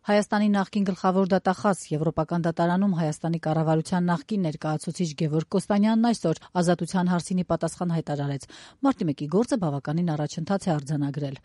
Հայաստանի նախկին գլխավոր դատախազ, Եվրոպական դատարանում Հայաստանի կառավարության նախկին ներկայացուցիչ Գևորգ Կոստանյանն այսօր ազատության հարցինի պատասխան հայտարարեց. Մարտի 1-ի գործը բավականին առաջընթաց է արձանագրել։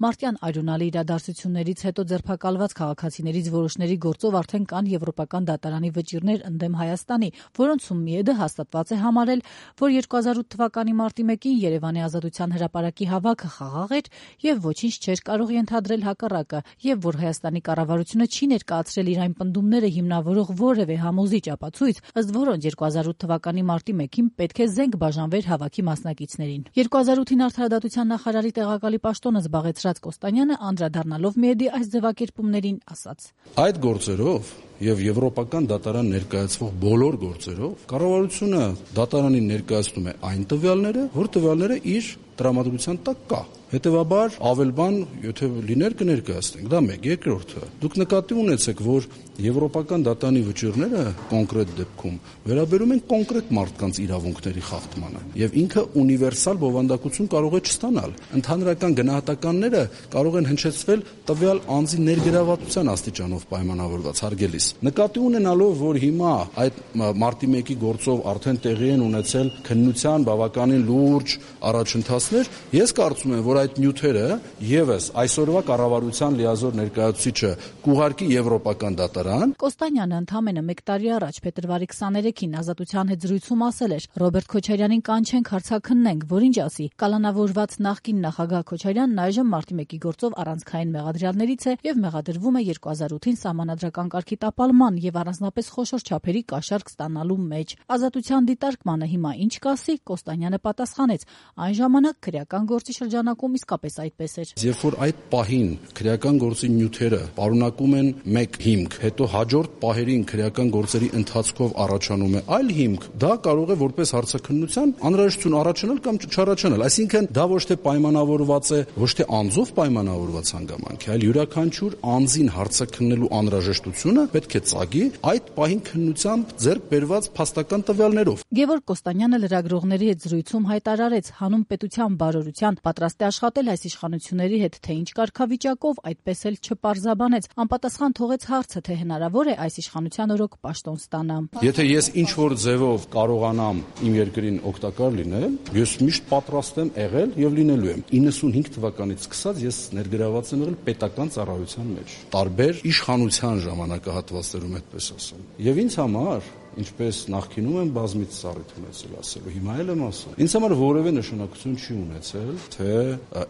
Մարտյան այրունալի իրադարձություններից հետո ձերբակալված քաղաքացիներից որոշների գործով արդեն կան Եվրոպական դատարանի վճիռներ ընդդեմ Հայաստանի, որոնցում ՄԻԵԴ հաստատված է համարել, որ 2008 թվականի մարտի 1-ին Երևանի Ազատության հրապարակի հավաքը խաղաղ էր եւ ոչինչ չէր կարող ենթադրել հակառակը, եւ որ Հայաստանի կառավարությունը չի ներկայացրել իր այն պնդումները հիմնավորող որևէ համոզիչ ապացույց, ըստ որոնց 2008 թվականի մարտի 1-ին պետք է զենք բաժանվեր հավաքի մասնակիցներին։ 2008-ին Արդարադատության նախարարի տեղակալի պաշտոնը զբաղեցրած Կոստանյանը անդրադառնալով ՄԻԵԴ-ի այս ձևակերպումներին ասաց. Այդ գործերով եւ Եվրոպական դատարան ներկայացվող բոլոր գործերով կառավարությունը դատարանին ներկայացնում է այն տվյալները, որ տվյալները իր տրամադրության տակ կա։ Հետևաբար ավել բան, եթե լիներ կներկայացնենք, դա մեկ, երկրորդը։ Դուք նկատի ունեցեք, որ Եվրոպական դատարանի վճիռները կոնկրետ դեպքում վերաբերում են կոնկրետ մարդկանց իրավունքների խախտմանը եւ ինքը ունիվերսալ բովանդակություն կարող է չստանալ։ Ընդհանրական գնահատականները կարող են հնչեցվել տվյալ անձի ներգրավվածության աստիճանով պայմանավորված, հարգելիս։ Նկատի ունենալով, որ հիմա այդ մարտի 1-ի գործով արդեն տեղի են ունեցել քննության բավականին լուրջ առաջընթացներ, ես կարծում եմ, որ այդ նյութերը եւս այսօրվա կառավարության լիազոր ներկայացուցիչը կուղարկի Եվրոպական դատարան։ Կոստանյանը ընդամենը 1 տարի առաջ փետրվարի 23-ին ազատության հետ զրույցում ասել էր. Ռոբերտ Քոչարյանին կանչենք հարցաքննենք, որ ինչ ասի։ Կալանավորված նախկին նախագահ Քոչարյանն այժմ մարտի 1-ի գործով առանցքային մեղադրյալներից է եւ մեղադրվում է 2008-ին սահմանադրական կարգի տապալման եւ առանձնապես խոշոր չափերի կաշառք ստանալու մեջ։ Ազատության դիտարկմանը հիմա ինչ կասի, Կոստանյանը պատասխանեց. այն ժամանակ քրեական գործի շրջանակում իսկապես այդպես էր։ Երբ որ այդ պահին քրեական գործի նյութերը պարունակում են մեկ հիմք, հետո հաջորդ պահերին քրեական գործերի ընթացքով առաջանում է այլ հիմք, դա կարող է որպես հարցաքննության անհրաժեշտություն առաջանալ կամ չառաջանալ։ Այսինքն դա ոչ թե պայմանավորված է, ոչ թե անձով պայմանավորված հանգամանք է, այլ յուրաքանչյուր անձին հարցաքննելու անհրաժեշտությունը պետք է ծագի այդ պահին քննությամբ ձեռք բերված փաստական տվյալներով։ Գևորգ Կոստանյանը լրագրողների հետ զրույցում հայտարարեց. հանուն պետության բարօրության պատրաստ է աշխատել այս իշխանությունների հետ, թե ինչ կարգավիճակով, այդպես էլ չպարզաբանեց։ Անպատասխան թողեց հարցը, թե հնարավոր է այս իշխանության օրոք պաշտոն ստանամ։ Եթե ես ինչ-որ ձևով կարողանամ իմ երկրին օգտակար լինել, ես միշտ պատրաստ եմ եղել եւ լինելու եմ։ 95 թվականից սկսած ես ներգրաված եմ եղել պետական ծառայության մեջ, տարբեր իշխանության ժամանակահատվածներում, այդպես ասեմ։ Եվ ինձ համար, ինչպես նախկինում եմ բազմից ծառայ ունեցել ասելու, հիմա էլ եմ ասում, ինձ համար որևէ նշանակություն չի ունեցել, թե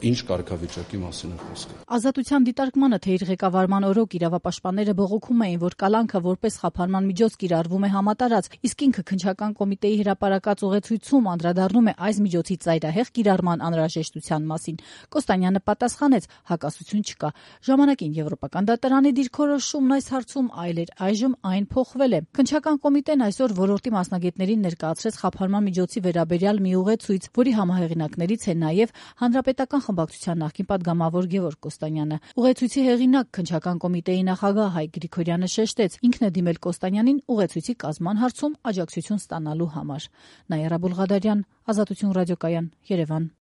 ինչ կարգավիճակի մասին է խոսքը։ Ազատության դիտարկմանը, թե իր ղեկավարման օրոք իրավապաշտպանները բողոքում էին, որ կալանքը որպես խափանման միջոց կիրառվում է համատարած, իսկ ինքը քննչական կոմիտեի հրապարակած ուղեցույցում անդրադառնում է այս միջոցի ծայրահեղ կիրառման անհրաժեշտության մասին, Կոստանյանը պատասխանեց. հակասություն չկա։ Ժամանակին Եվրոպական դատարանի դիրքորոշումն այս հարցում այլ էր, այժմ այն փոխվել է։ Քննչական կոմիտեն այսօր ոլորտի մասնագետներին ներկայացրեց խափանման միջոցի վերաբերյալ մի ուղեցույց, որի համահեղինակներից է նաև Հանրապետական խմբակցության նախկին պատգամավոր Գևորգ Կոստանյանը։ Ուղեցույցի հեղինակ քննչական կոմիտեի նախագահ Հայկ Գրիգորյանը շեշտեց. ինքն է դիմել Կոստանյանին ուղեցույցի կազմման հարցում աջակցություն ստանալու համար։ Նայարա Բուլղադարյան, Ազատություն ռադիոկայան, Երևան։